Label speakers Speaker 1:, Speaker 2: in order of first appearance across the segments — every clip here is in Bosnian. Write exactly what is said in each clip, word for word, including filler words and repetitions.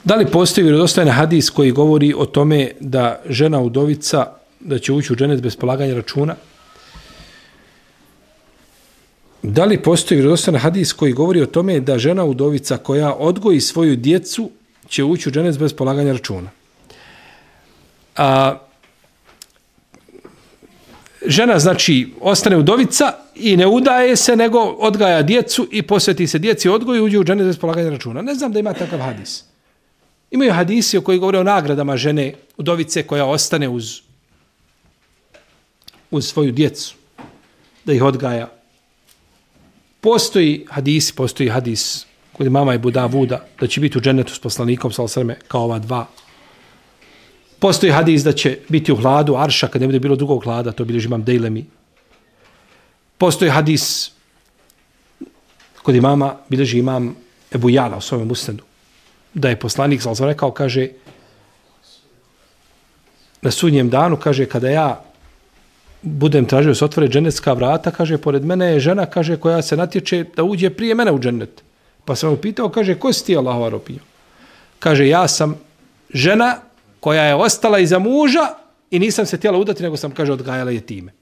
Speaker 1: Da li postoji vjerodostojan hadis koji govori o tome da žena udovica da će ući u dženet bez polaganja računa? Da li postoji vjerodostojan hadis koji govori o tome da žena udovica koja odgoji svoju djecu će ući u dženet bez polaganja računa? A, žena, znači, ostane udovica i ne udaje se, nego odgaja djecu i posveti se djeci odgoju i uđe u dženet bez polaganja računa. Ne znam da ima takav hadis. Imaju hadisi o koji govore o nagradama žene udovice koja ostane uz, uz svoju djecu, da ih odgaja. Postoji hadis, postoji hadis kod mama Ebu Davuda da će biti u dženetu s poslanikom sallallahu alejhi ve sellem kao ova dva. Postoji hadis da će biti u hladu arša kad ne bude bilo drugog hlada, to bilježi imam Dejlemi. Postoji hadis kod imama bilježi imam Ebu Jala u svojom musnedu, da je poslanik sallallahu alejhi ve sellem rekao, kaže, na sudnjem danu, kaže, kada ja budem tražio se otvore dženetska vrata, kaže, pored mene je žena, kaže, koja se natječe da uđe prije mene u dženet. Pa sam mu pitao, kaže, ko si ti, Allahova robinjo? Kaže, ja sam žena koja je ostala iza muža i nisam se htjela udati, nego sam, kaže, odgajala jetime.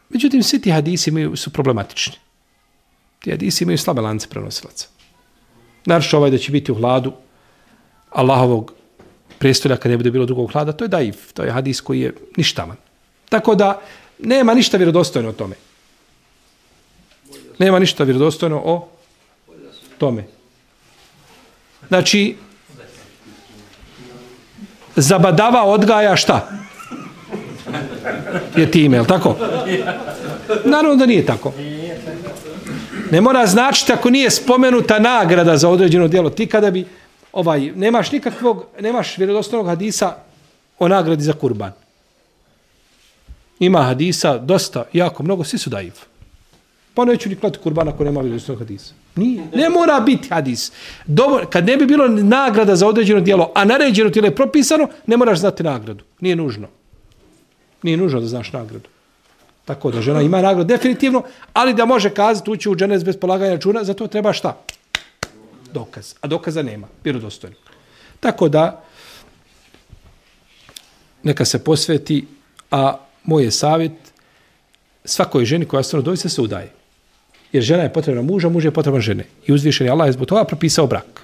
Speaker 1: Međutim, svi ti hadisi imaju, su problematični. Ti hadisi imaju slabe lance prenosilaca. Naravno ovaj da će biti u hladu Allahovog prijestolja kad ne bude bilo drugog hlada, to je daif, to je hadis koji je ništavan. Tako da nema ništa vjerodostojno o tome. Nema ništa vjerodostojno o tome. Znači, zabadava odgaja šta? Je time, je li tako? Naravno da nije tako. Ne mora značiti ako nije spomenuta nagrada za određeno djelo. Ti kada bi, ovaj, nemaš nikakvog, nemaš vjerodostojnog hadisa o nagradi za kurban. Ima hadisa dosta, jako mnogo, svi su daif. Pa neću ni klati kurban ako nema vjerodostojnog hadisa. Nije. Ne mora biti hadis. Dobro, kad ne bi bilo nagrada za određeno djelo, a naređeno ti je propisano, ne moraš znati nagradu. Nije nužno. Nije nužno da znaš nagradu. Tako da žena ima nagradu definitivno, ali da može kazati ući u dženet bez polaganja računa, za to treba šta? Dokaz. A dokaza nema. Vjerodostojno. Tako da neka se posveti, a moj je savjet svakoj ženi koja ostane udovica se udaje. Jer žena je potrebna muža, muž je potreban žene. I uzvišeni Allah je zbog toga propisao brak.